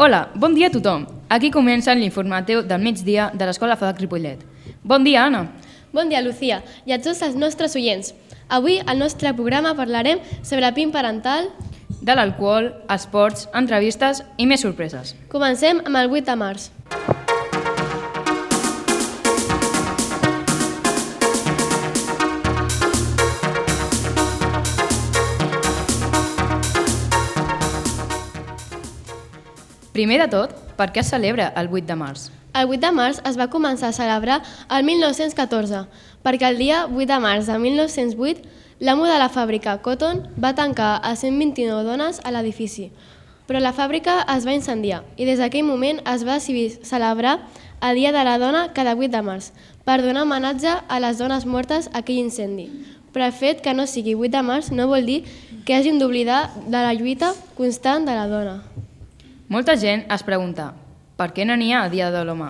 Hola, bon dia a tothom. Aquí comença l'informatiu del migdia de l'Escola FADAC Ripollet. Bon dia, Anna. Bon dia, Lucía, i a tots els nostres oients. Avui al nostre programa parlarem sobre el PIN parental. De l'alcohol, esports, entrevistes i més sorpreses. Comencem amb el 8 de març. Primer de tot, per què es celebra el 8 de març? El 8 de març es va començar a celebrar el 1914, perquè el dia 8 de març de 1908 l'amo de la fàbrica Cotton va tancar a 129 dones a l'edifici, però la fàbrica es va incendiar i des d'aquell moment es va decidir celebrar el Dia de la Dona cada 8 de març per donar homenatge a les dones mortes a aquell incendi. Però el fet que no sigui 8 de març no vol dir que hàgim d'oblidar de la lluita constant de la dona. Molta gent es pregunta per què no n'hi ha Dia de l'Home.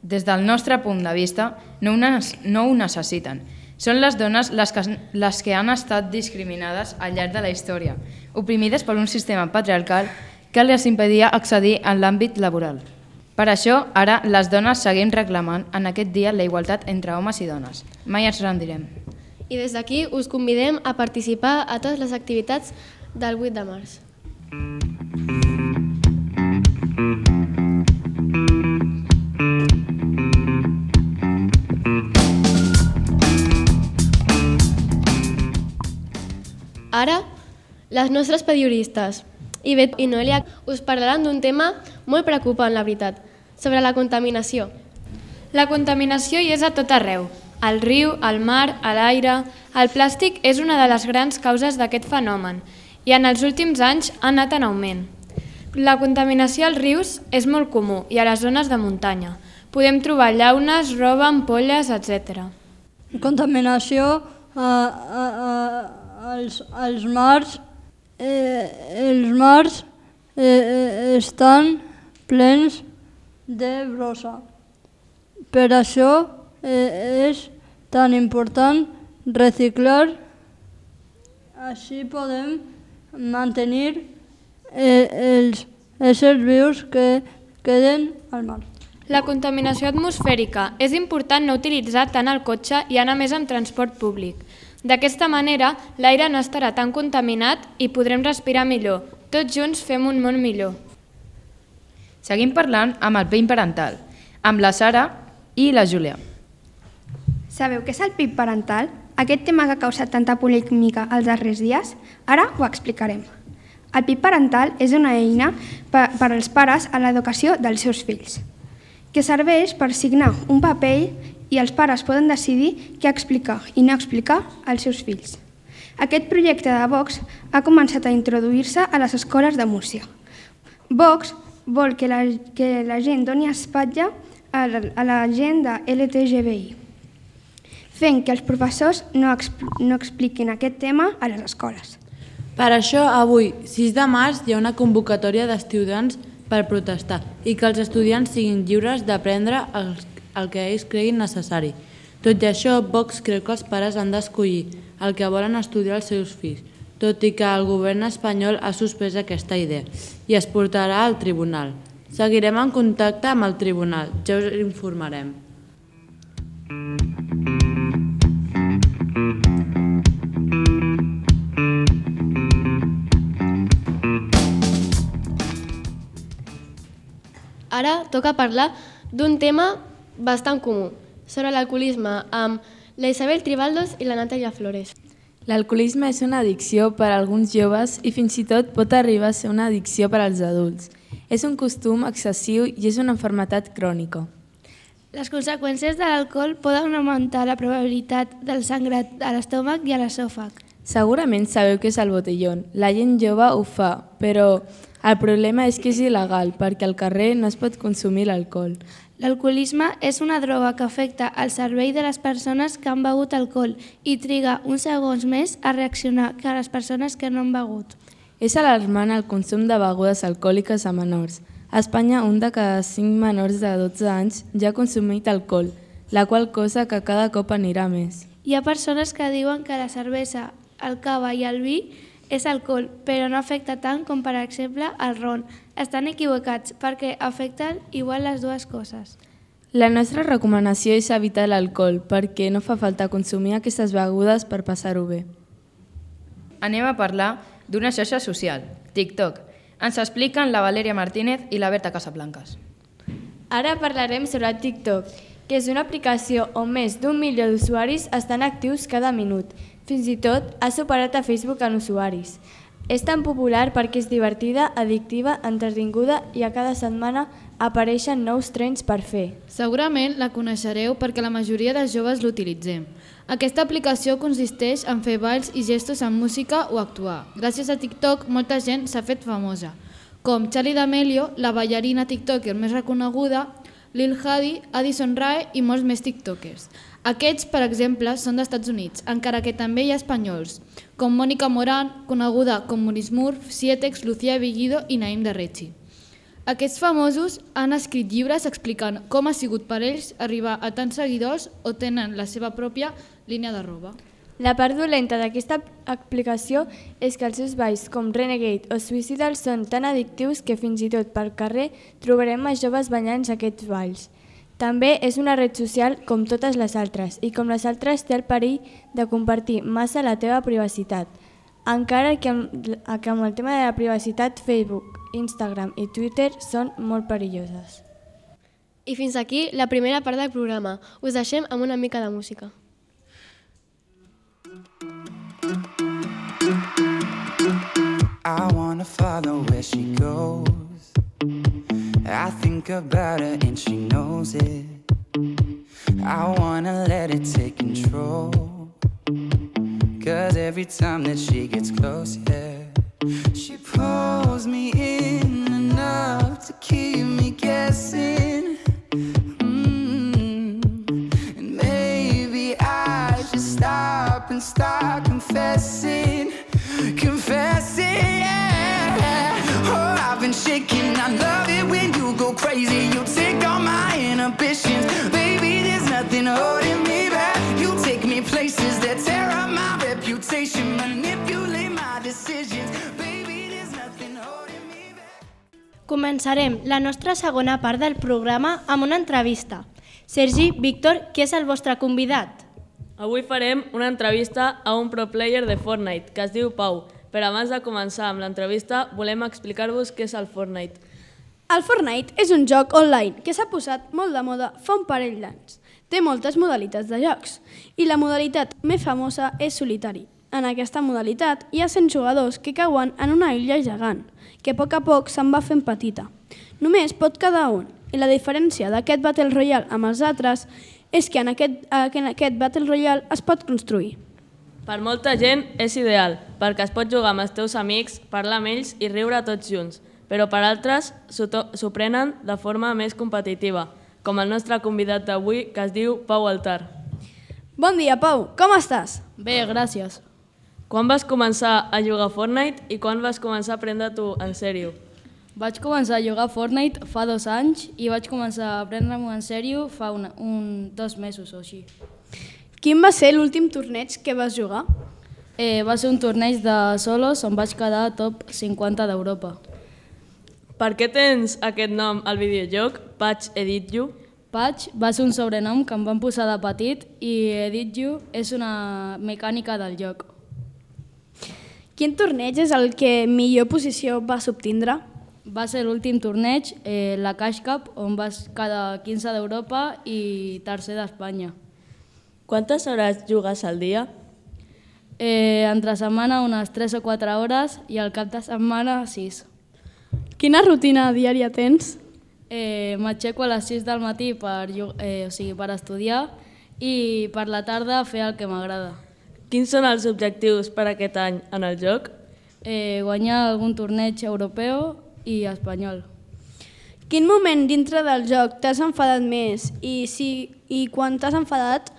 Des del nostre punt de vista, no ho necessiten. Són les dones les que han estat discriminades al llarg de la història, oprimides per un sistema patriarcal que les impedia accedir en l'àmbit laboral. Per això, ara les dones seguim reclamant en aquest dia la igualtat entre homes i dones. Mai ens rendirem. I des d'aquí us convidem a participar a totes les activitats del 8 de març. Ara, les nostres periodistes, Ivet i Noelia, us parlaran d'un tema molt preocupant, la veritat, sobre la contaminació. La contaminació hi és a tot arreu. Al riu, al mar, a l'aire... El plàstic és una de les grans causes d'aquest fenomen i en els últims anys ha anat en augment. La contaminació als rius és molt comú i a les zones de muntanya. Podem trobar llaunes, roba, ampolles, etc. Contaminació als mars. Els mars estan plens de brossa. Per això és tan important reciclar. Així podem mantenir els éssers vius que queden al mar. La contaminació atmosfèrica. És important no utilitzar tant el cotxe i anar més amb transport públic. D'aquesta manera, l'aire no estarà tan contaminat i podrem respirar millor. Tots junts fem un món millor. Seguim parlant amb el PIN parental, amb la Sara i la Júlia. Sabeu què és el PIN parental? Aquest tema que ha causat tanta polèmica els darrers dies? Ara ho explicarem. El PIN parental és una eina per als pares a l'educació dels seus fills, que serveix per signar un paper i els pares poden decidir què explicar i no explicar als seus fills. Aquest projecte de Vox ha començat a introduir-se a les escoles de Múrcia. Vox vol que la gent doni espatlla a la gent de LGTBI, fent que els professors no expliquin aquest tema a les escoles. Per això, avui, 6 de març, hi ha una convocatòria d'estudiants per protestar i que els estudiants siguin lliures d'aprendre el que ells creguin necessari. Tot i això, Vox creu que els pares han d'escollir el que volen estudiar els seus fills, tot i que el govern espanyol ha suspès aquesta idea i es portarà al tribunal. Seguirem en contacte amb el tribunal, ja us informarem. Ara toca parlar d'un tema bastant comú, sobre l'alcoholisme, amb la Isabel Tribaldos i la Natàlia Flores. L'alcoholisme és una addicció per a alguns joves i fins i tot pot arribar a ser una addicció per als adults. És un costum excessiu i és una malaltia crònica. Les conseqüències de l'alcohol poden augmentar la probabilitat del sangrat a l'estómac i a l'esòfag. Segurament sabeu què és el botellón. La gent jove ho fa, però el problema és que és il·legal perquè al carrer no es pot consumir l'alcohol. L'alcoholisme és una droga que afecta el cervell de les persones que han begut alcohol i triga uns segons més a reaccionar que les persones que no han begut. És alarmant el consum de begudes alcohòliques a menors. A Espanya, un de cada 5 menors de 12 anys ja ha consumit alcohol, la qual cosa que cada cop anirà més. Hi ha persones que diuen que la cervesa, el cava i el vi és alcohol, però no afecta tant com, per exemple, el ron, estan equivocats perquè afecten igual les dues coses. La nostra recomanació és evitar l'alcohol perquè no fa falta consumir aquestes begudes per passar-ho bé. Anem a parlar d'una xarxa social, TikTok. Ens expliquen la Valèria Martínez i la Berta Casablancas. Ara parlarem sobre TikTok, que és una aplicació on més d'1 milió d'usuaris estan actius cada minut. Fins i tot ha superat a Facebook en usuaris. És tan popular perquè és divertida, addictiva, entretinguda i a cada setmana apareixen nous trends per fer. Segurament la coneixereu perquè la majoria de joves l'utilitzem. Aquesta aplicació consisteix en fer balls i gestos amb música o actuar. Gràcies a TikTok, molta gent s'ha fet famosa, com Charli D'Amelio, la ballarina tiktoker més reconeguda, Lil Hadi, Addison Rae i molts més tiktokers. Aquests, per exemple, són d'Estats Units, encara que també hi ha espanyols, com Mónica Morán, coneguda com Maurice Murph, Sietex, Lucía Bellido i Naim de Rechi. Aquests famosos han escrit llibres explicant com ha sigut per ells arribar a tants seguidors o tenen la seva pròpia línia de roba. La part dolenta d'aquesta aplicació és que els seus balls com Renegade o Suicidal són tan addictius que fins i tot pel carrer trobarem a joves ballant aquests balls. També és una red social com totes les altres i com les altres té el perill de compartir massa la teva privacitat. Encara que amb el tema de la privacitat Facebook, Instagram i Twitter són molt perilloses. I fins aquí la primera part del programa. Us deixem amb una mica de música. I wanna follow where she goes. I think about her and she knows it. I wanna let it take control. 'Cause every time that she gets close, yeah, she pulls me in enough to keep me guessing. And maybe I should stop and start confessing. Yeah. Oh, I've been shaking. I love it when you go crazy. You take all my inhibitions. Baby, there's nothing holding me back. You take me places that tear up my reputation. Manipulate my decisions. Baby, there's nothing holding me back. Començarem la nostra segona part del programa amb una entrevista. Sergi, Víctor, qui és el vostre convidat? Avui farem una entrevista a un pro player de Fortnite que es diu Pau. Però abans de començar amb l'entrevista, volem explicar-vos què és el Fortnite. El Fortnite és un joc online que s'ha posat molt de moda fa un parell d'anys. Té moltes modalitats de jocs i la modalitat més famosa és solitari. En aquesta modalitat hi ha 100 jugadors que cauen en una illa gegant, que a poc se'n va fent petita. Només pot quedar un, i la diferència d'aquest Battle Royale amb els altres és que en aquest Battle Royale es pot construir. Per molta gent és ideal, perquè es pot jugar amb els teus amics, parlar amb ells i riure tots junts, però per altres s'ho prenen de forma més competitiva, com el nostre convidat d'avui, que es diu Pau Altar. Bon dia, Pau, com estàs? Bé, gràcies. Quan vas començar a jugar a Fortnite i quan vas començar a prendre-t'ho en sèrio? Vaig començar a jugar a Fortnite fa 2 anys i vaig començar a prendre-m'ho en sèrio fa 2 mesos o així. Quin va ser l'últim torneig que vas jugar? Va ser un torneig de solos on vaig quedar top 50 d'Europa. Per què tens aquest nom al videojoc, Patch Edit You? Patch va ser un sobrenom que em van posar de petit i Edit You és una mecànica del joc. Quin torneig és el que millor posició vas obtindre? Va ser l'últim torneig, la Cash Cup, on vas quedar 15 d'Europa i tercer d'Espanya. Quantes hores jugues al dia? Entre setmana unes 3 o 4 hores i al cap de setmana 6. Quina rutina diària tens? M'aixeco a les 6 del matí per estudiar i per la tarda fer el que m'agrada. Quins són els objectius per aquest any en el joc? Guanyar algun torneig europeu i espanyol. Quin moment dintre del joc t'has enfadat més i quan t'has enfadat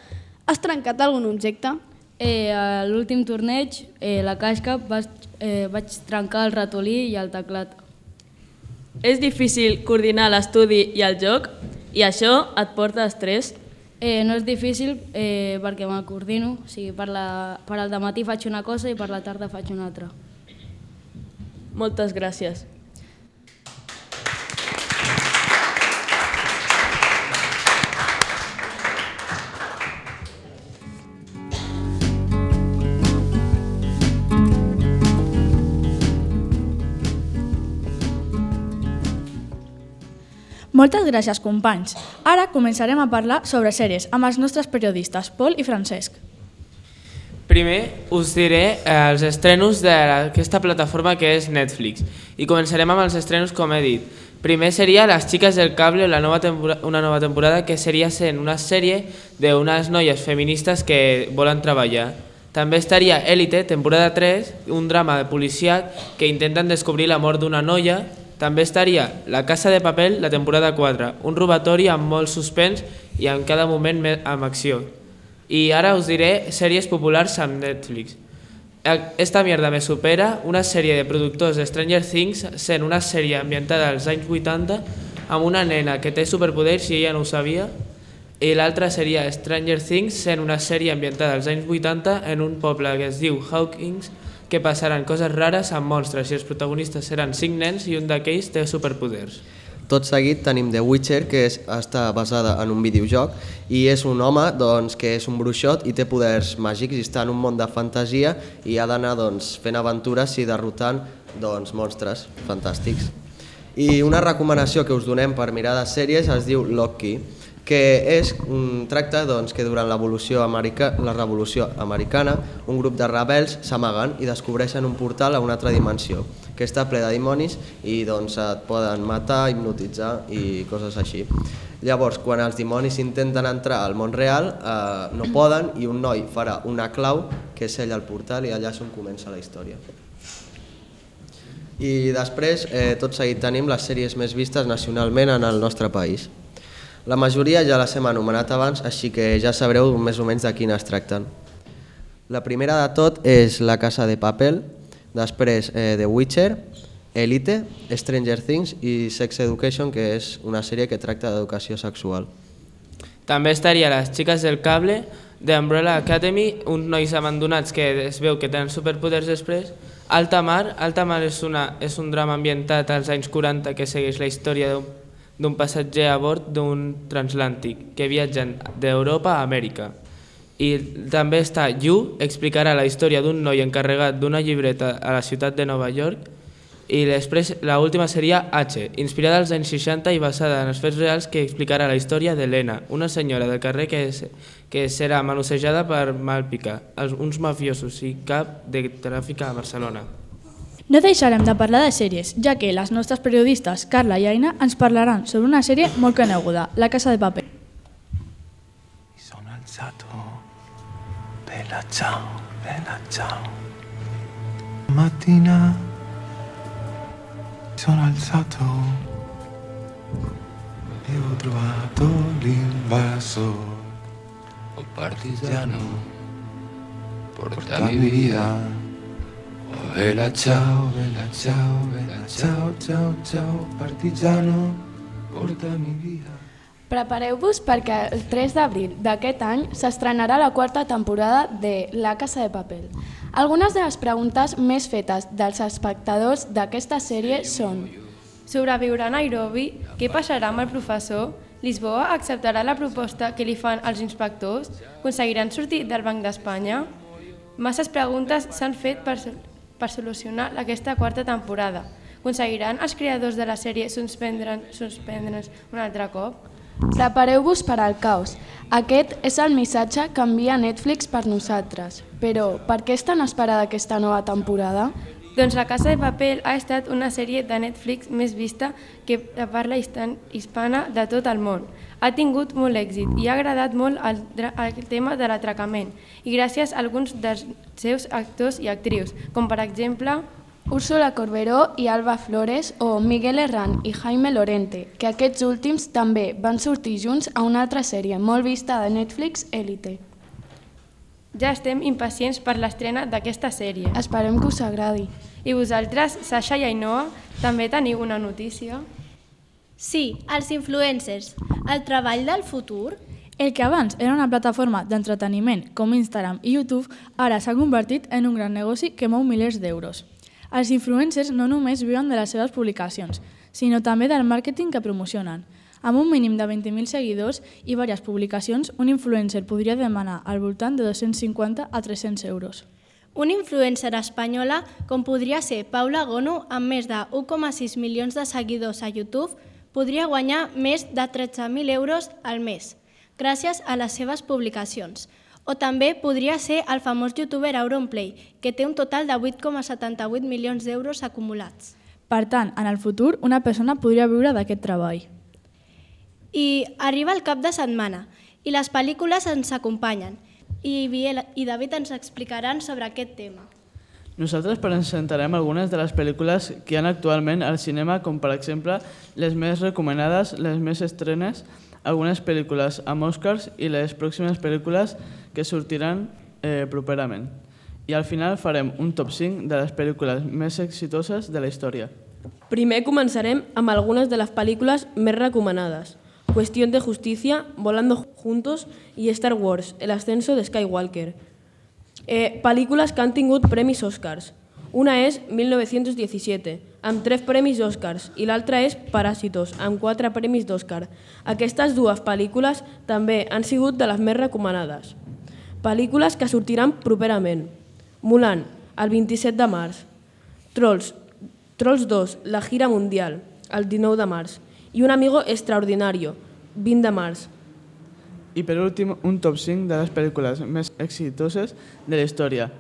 has trencat algun objecte? A l'últim torneig, la Cash Cup, vaig trencar el ratolí i el teclat. És difícil coordinar l'estudi i el joc i això et porta estrès? No és difícil perquè me'l coordino. O sigui, per al dematí faig una cosa i per la tarda faig una altra. Moltes gràcies. Moltes gràcies, companys. Ara començarem a parlar sobre sèries amb els nostres periodistes, Pol i Francesc. Primer us diré els estrenos d'aquesta plataforma que és Netflix i començarem amb els estrenos com he dit. Primer seria Las chicas del cable, una nova temporada que seria sent una sèrie d'unes noies feministes que volen treballar. També estaria Élite, temporada 3, un drama de policíac que intenten descobrir la mort d'una noia. També estaria La casa de papel, la temporada 4, un robatori amb molt suspens i en cada moment amb acció. I ara us diré sèries populars amb Netflix. Esta mierda me supera, una sèrie de productors de Stranger Things, sent una sèrie ambientada als anys 80 amb una nena que té superpoders i ella no ho sabia. I l'altra seria Stranger Things, sent una sèrie ambientada als anys 80 en un poble que es diu Hawkins, que passaran coses rares amb monstres i els protagonistes seran 5 nens i un d'aquells té superpoders. Tot seguit tenim The Witcher, que està basada en un videojoc i és un home que és un bruixot i té poders màgics i està en un món de fantasia i ha d'anar fent aventures i derrotant monstres fantàstics. I una recomanació que us donem per mirar de sèries es diu Loki, que tracta que durant la Revolució Americana un grup de rebels s'amaguen i descobreixen un portal a una altra dimensió que està ple de dimonis i et poden matar, hipnotitzar i coses així. Llavors, quan els dimonis intenten entrar al món real, no poden i un noi farà una clau que sella el portal i allà és on comença la història. I després, tot seguit, tenim les sèries més vistes nacionalment en el nostre país. La majoria ja les hem anomenat abans, així que ja sabreu més o menys de quines tracten. La primera de tot és La casa de papel, després The Witcher, Élite, Stranger Things i Sex Education, que és una sèrie que tracta d'educació sexual. També estaria Las chicas del cable, The Umbrella Academy, uns nois abandonats que es veu que tenen superpoders després. Alta mar és un drama ambientat als anys 40 que segueix la història d'un passatger a bord d'un transatlàntic que viatgen d'Europa a Amèrica. I també està You, explicarà la història d'un noi encarregat d'una llibreta a la ciutat de Nova York. I després l'última seria H, inspirada als anys 60 i basada en els fets reals, que explicarà la història d'Helena, una senyora del carrer que serà manossejada per Malpica, uns mafiosos i cap de tràfic a Barcelona. No deixarem de parlar de sèries, ja que les nostres periodistes Carla i Aina ens parlaran sobre una sèrie molt coneguda, La casa de papel. Sono alzato, bella ciao, bella ciao. Mattina sono alzato e ho trovato l'invasor. Oh partigiano, porta mi vida. Oh, bella ciao, bella ciao, bella ciao, ciao, ciao, partigiano, porta mi vida. Prepareu-vos perquè el 3 d'abril d'aquest any s'estrenarà la 4ª temporada de La casa de papel. Algunes de les preguntes més fetes dels espectadors d'aquesta sèrie són: sobreviurà a Nairobi? Què passarà amb el professor? Lisboa acceptarà la proposta que li fan els inspectors? Aconseguiran sortir del Banc d'Espanya? Masses preguntes s'han fet per solucionar aquesta 4ª temporada. Aconseguiran els creadors de la sèrie suspendre'ns un altre cop? Prepareu-vos per al caos. Aquest és el missatge que envia Netflix per nosaltres. Però, per què és tan esperada aquesta nova temporada? Doncs La casa de papel ha estat una sèrie de Netflix més vista que de parla hispana de tot el món. Ha tingut molt èxit i ha agradat molt el tema de l'atracament i gràcies a alguns dels seus actors i actrius, com per exemple Úrsula Corberó i Alba Flores o Miguel Herrán i Jaime Lorente, que aquests últims també van sortir junts a una altra sèrie molt vista de Netflix, Élite. Ja estem impacients per l'estrena d'aquesta sèrie. Esperem que us agradi. I vosaltres, Sasha i Ainhoa, també teniu una notícia? Sí, els influencers. El treball del futur? El que abans era una plataforma d'entreteniment com Instagram i YouTube, ara s'ha convertit en un gran negoci que mou milers d'euros. Els influencers no només viuen de les seves publicacions, sinó també del màrqueting que promocionen. Amb un mínim de 20.000 seguidors i diverses publicacions, un influencer podria demanar al voltant de 250 a 300 euros. Una influencer espanyola, com podria ser Paula Gono, amb més de 1,6 milions de seguidors a YouTube, podria guanyar més de 13.000 euros al mes, gràcies a les seves publicacions. O també podria ser el famós youtuber Auronplay, que té un total de 8,78 milions d'euros acumulats. Per tant, en el futur, una persona podria viure d'aquest treball. I arriba el cap de setmana, i les pel·lícules ens acompanyen, i Biel i David ens explicaran sobre aquest tema. Nosaltres presentarem algunes de les pel·lícules que hi ha actualment al cinema, com per exemple les més recomanades, les més estrenes, algunes pel·lícules amb Oscars i les pròximes pel·lícules que sortiran properament. I al final farem un top 5 de les pel·lícules més exitoses de la història. Primer començarem amb algunes de les pel·lícules més recomanades. Cuestión de Justicia, Volando Juntos i Star Wars, El ascenso de Skywalker. Pel·lícules que han tingut premis Oscars. Una és 1917, amb 3 premis Oscars, i l'altra és Parásitos, amb 4 premis d'Oscar. Aquestes dues pel·lícules també han sigut de les més recomanades. Pel·lícules que sortiran properament. Mulan, el 27 de març. Trolls 2, la gira mundial, el 19 de març. I Un amigo extraordinario, 20 de març. I per últim, un top 5 de les pel·lícules més exitoses de la història.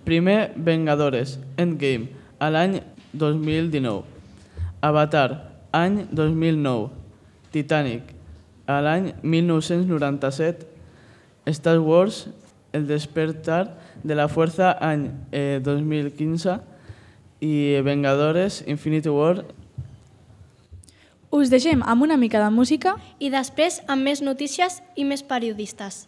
Primer, Vengadores, Endgame, a l'any 2019. Avatar, any 2009. Titanic, a l'any 1997. Star Wars, El despertar de la fuerza, any 2015. I Vengadores, Infinity War. Us deixem amb una mica de música i després amb més notícies i més periodistes.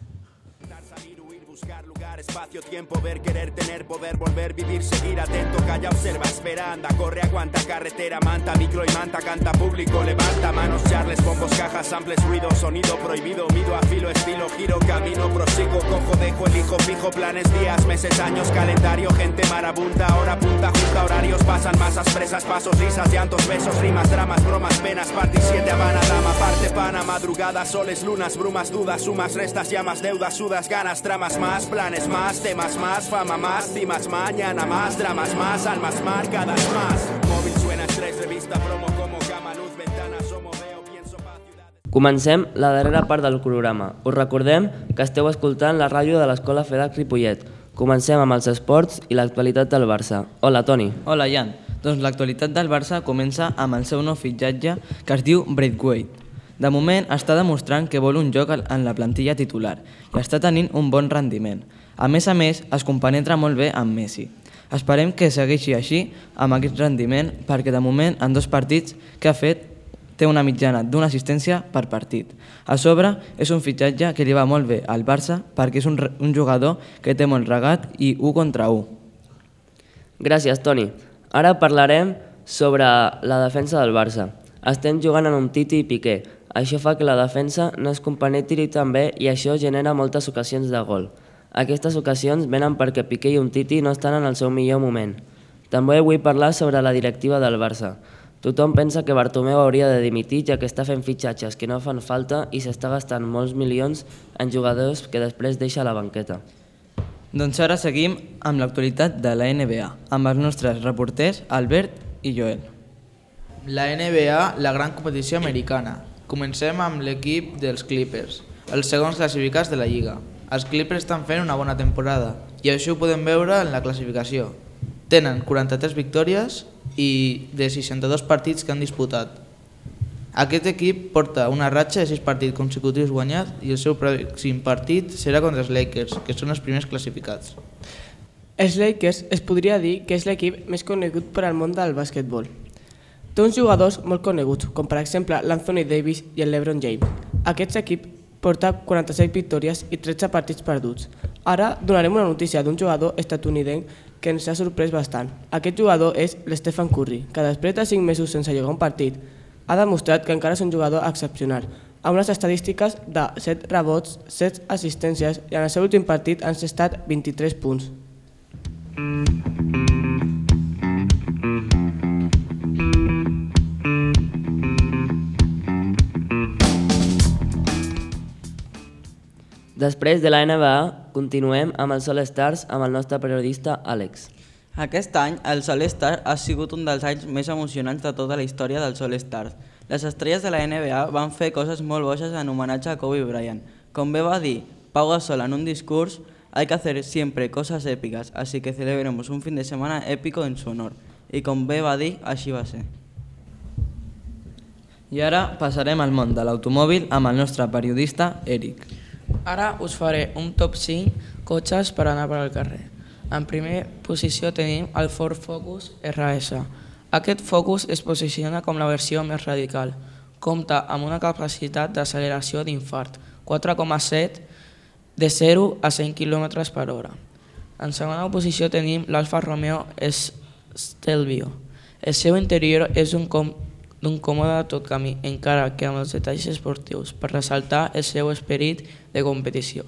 Espacio, tiempo, ver, querer, tener, poder, volver, vivir, seguir atento, calla, observa, espera, anda, corre, aguanta, carretera, manta, micro y manta, canta, público, levanta, manos, charles, bombos, cajas, samples, ruido, sonido prohibido, mido, afilo, estilo, giro, camino, prosigo, cojo, dejo, elijo, fijo, planes, días, meses, años, calendario, gente marabunta, hora punta, junta, horarios, pasan masas, presas, pasos, risas, llantos, besos, rimas, dramas, bromas, penas, party 7, Habana, dama, parte, pana, madrugada, soles, lunas, brumas, dudas, sumas, restas, llamas, deudas, sudas, ganas, tramas, más, planes, más, temas más, fama más, cimas mañana más, dramas más, almas marcadas más. Móvil suena, estrés, revista, promo, como cama, luz, ventana, somo, veo, pienso, paz, ciudades... Comencem la darrera part del programa. Us recordem que esteu escoltant la ràdio de l'Escola FEDAC Ripollet. Comencem amb els esports i l'actualitat del Barça. Hola, Toni. Hola, Jan. Doncs l'actualitat del Barça comença amb el seu nou fitxatge que es diu Braithwaite. De moment està demostrant que vol un lloc en la plantilla titular i està tenint un bon rendiment. A més, es compenetra molt bé amb Messi. Esperem que segueixi així amb aquest rendiment perquè de moment en 2 partits que ha fet té una mitjana d'una assistència per partit. A sobre és un fitxatge que li va molt bé al Barça perquè és un jugador que té molt regat i 1 contra 1. Gràcies, Toni. Ara parlarem sobre la defensa del Barça. Estem jugant en un Titi i Piqué. Això fa que la defensa no es compenetri tan bé i això genera moltes ocasions de gol. Aquestes ocasions venen perquè Piqué i Umtiti no estan en el seu millor moment. També vull parlar sobre la directiva del Barça. Tothom pensa que Bartomeu hauria de dimitir ja que està fent fitxatges que no fan falta i s'està gastant molts milions en jugadors que després deixa a la banqueta. Doncs ara seguim amb l'actualitat de la NBA, amb els nostres reporters Albert i Joel. La NBA, la gran competició americana. Comencem amb l'equip dels Clippers, els segons classificats de la Lliga. Els Clippers estan fent una bona temporada i això ho podem veure en la classificació. Tenen 43 victòries i de 62 partits que han disputat. Aquest equip porta una ratxa de 6 partits consecutius guanyats i el seu pròxim partit serà contra els Lakers, que són els primers classificats. Els Lakers es podria dir que és l'equip més conegut per al món del bàsquetbol. Té uns jugadors molt coneguts, com per exemple l'Anthony Davis i el LeBron James. Aquest equip porta 46 victòries i 13 partits perduts. Ara donarem una notícia d'un jugador estatunidenc que ens ha sorprès bastant. Aquest jugador és l'Stephen Curry, que després de 5 mesos sense jugar un partit, ha demostrat que encara és un jugador excepcional, amb unes estadístiques de 7 rebots, 7 assistències i en el seu últim partit han estat 23 punts. Després de la NBA, continuem amb els All Stars amb el nostre periodista Àlex. Aquest any, el Sol Star ha sigut un dels anys més emocionants de tota la història del Sol Star. Les estrelles de la NBA van fer coses molt boges en homenatge a Kobe Bryant. Com bé va dir Pau Gasol en un discurs, hay que hacer siempre cosas épicas, así que celebremos un fin de semana épico en su honor. I com bé va dir, així va ser. I ara passarem al món de l'automòbil amb el nostre periodista Eric. Ara us faré un top 5 cotxes per anar per al carrer. En primera posició tenim el Ford Focus RS. Aquest Focus es posiciona com la versió més radical. Compta amb una capacitat d'acceleració d'infart, 4,7 de 0 a 100 km per hora. En segona posició tenim l'Alfa Romeo Stelvio. El seu interior és d'un còmode tot camí, encara que amb els detalls esportius, per ressaltar el seu esperit de competició.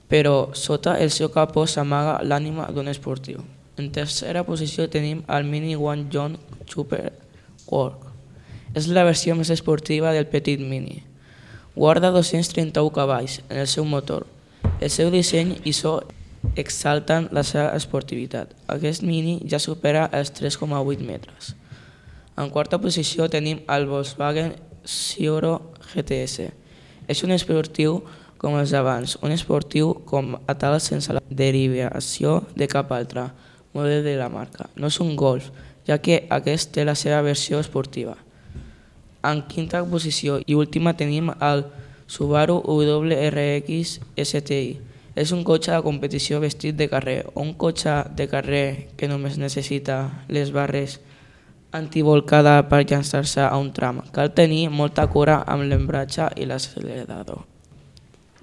Però sota el seu capó s'amaga l'ànima d'un esportiu. En tercera posició tenim el Mini One John Super Work. És la versió més esportiva del petit Mini. Guarda 231 cavalls en el seu motor. El seu disseny i so exalten la seva esportivitat. Aquest Mini ja supera els 3,8 metres. En quarta posició tenim el Volkswagen Cioro GTS. És un esportiu com els abans, un esportiu com a tal sense la derivació de cap altre model de la marca. No és un Golf, ja que aquest té la seva versió esportiva. En quinta posició i última tenim el Subaru WRX STI. És un cotxe de competició vestit de carrer, o un cotxe de carrer que només necessita les barres antivolcada per llançar-se a un tram. Cal tenir molta cura amb l'embratge i l'accelerador.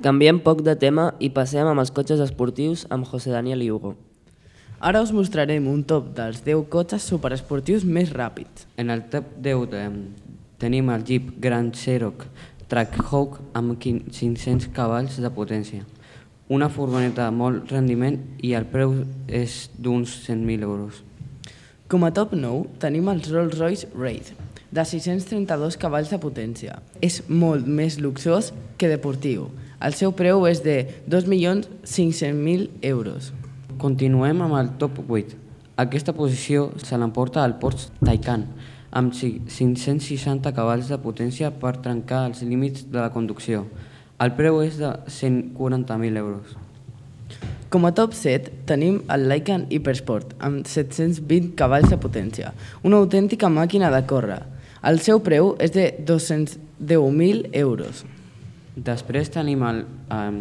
Canviem poc de tema i passem amb els cotxes esportius amb José Daniel i Hugo. Ara us mostrarem un top dels 10 cotxes superesportius més ràpids. En el top 10 tenim el Jeep Grand Cherokee Trackhawk amb 500 cavalls de potència. Una furgoneta de molt rendiment i el preu és d'uns 100.000 euros. Com a top 9 tenim el Rolls-Royce Wraith, de 632 cavalls de potència. És molt més luxós que deportiu. El seu preu és de 2.500.000 euros. Continuem amb el top 8. Aquesta posició se l'emporta el Porsche Taycan, amb 560 cavalls de potència per trencar els límits de la conducció. El preu és de 140.000 euros. Com a top 7 tenim el Lykan Hypersport, amb 720 cavalls de potència, una autèntica màquina de córrer. El seu preu és de 210.000 euros. Després tenim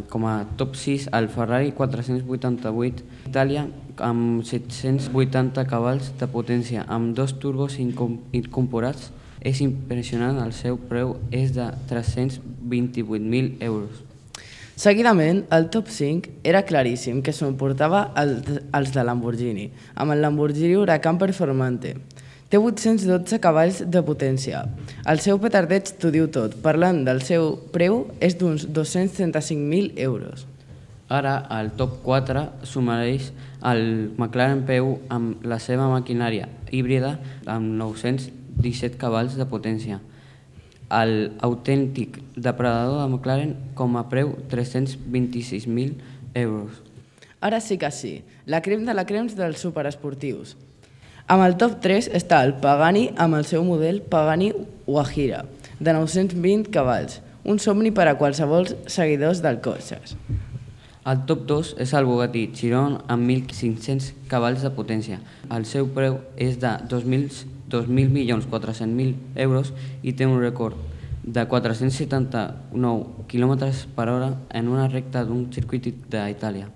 com a top 6 el Ferrari 488 Italia amb 780 cavalls de potència, amb 2 turbos incorporats. És impressionant, el seu preu és de 328.000 euros. Seguidament, el top 5 era claríssim que s'emportava els de Lamborghini, amb el Lamborghini Huracan Performante. Té 812 cavalls de potència. El seu petardeig t'ho diu tot. Parlant del seu preu, és d'uns 235.000 euros. Ara, al top 4 sumareix el McLaren P1 amb la seva maquinària híbrida amb 917 cavalls de potència. El autèntic depredador de McLaren com a preu 326.000 euros. Ara sí que sí, la crem de la crems dels superesportius. Amb el top 3 està el Pagani amb el seu model Pagani Huayra, de 920 cavalls, un somni per a qualsevol seguidors del cotxes. El top 2 és el Bugatti Chiron amb 1.500 cavalls de potència. El seu preu és de 2.400.000 euros i té un rècord de 479 km per hora en una recta d'un circuit d'Itàlia.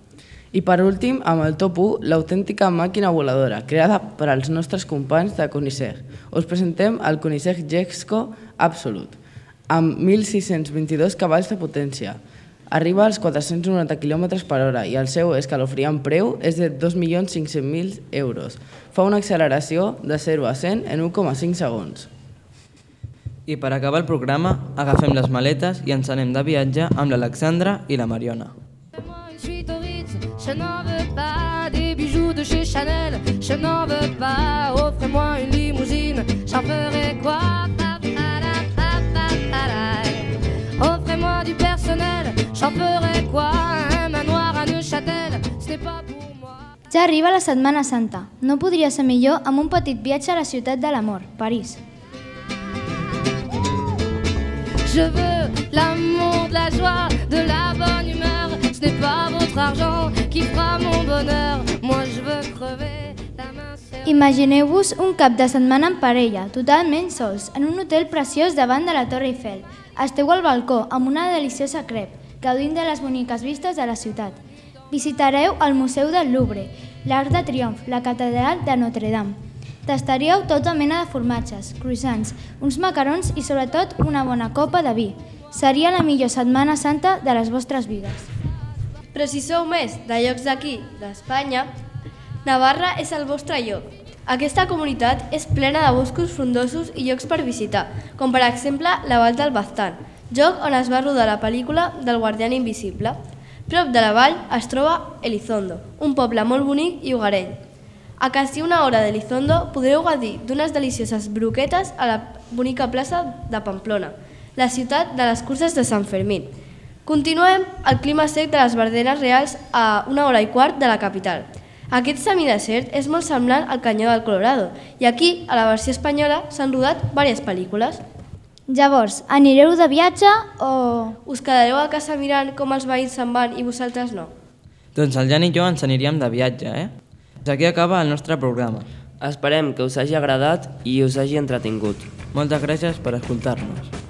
I per últim, amb el top 1, l'autèntica màquina voladora, creada per als nostres companys de Koenigsegg. Us presentem el Koenigsegg Jesko Absolute, amb 1.622 cavalls de potència. Arriba als 490 km per hora i el seu escalofriant preu és de 2.500.000 euros. Fa una acceleració de 0 a 100 en 1,5 segons. I per acabar el programa, agafem les maletes i ens anem de viatge amb l'Alexandra i la Mariona. Je n'en veux pas des bijoux de chez Chanel, je n'en veux pas, offrez-moi une limousine, j'en ferai quoi? Offrez-moi du personnel, j'en ferai quoi? Un manoir à Neuchâtel, ce n'est pas pour moi. Ja Ara arriba la Setmana Santa. No podria ser millor amb un petit viatge a la ciutat de l'amor, París. Je veux l'amour, de la joie, de la bonne humeur. Ce n'est pas votre argent qui fera mon bonheur. Moi je veux crever la main serrée. Imagineu-vos un cap de setmana en parella, totalment sols, en un hotel preciós davant de la Torre Eiffel. Esteu al balcó amb una deliciosa crep, gaudint de les boniques vistes de la ciutat. Visitareu el Museu del Louvre, l'Arc de Triomf, la Catedral de Notre-Dame. Tastaríeu tota mena de formatges, croissants, uns macarons i sobretot una bona copa de vi. Seria la millor Setmana Santa de les vostres vides. Però si sou més de llocs d'aquí, d'Espanya, Navarra és el vostre lloc. Aquesta comunitat és plena de boscos frondosos i llocs per visitar, com per exemple la Vall del Baztán, lloc on es va rodar la pel·lícula del Guardián Invisible. Prop de la vall es troba Elizondo, un poble molt bonic i hogarell. A quasi una hora d'Elizondo podreu gaudir d'unes delicioses broquetes a la bonica plaça de Pamplona, la ciutat de les curses de Sant Fermín. Continuem al clima sec de les Verdenes Reals a 1 hora i quart de la capital. Aquest semidesert és molt semblant al Canyó del Colorado i aquí, a la versió espanyola, s'han rodat diverses pel·lícules. Llavors, anireu de viatge o...? Us quedareu a casa mirant com els veïns se'n van i vosaltres no? Doncs el Jan i jo ens aniríem de viatge, Aquí acaba el nostre programa. Esperem que us hagi agradat i us hagi entretingut. Moltes gràcies per escoltar-nos.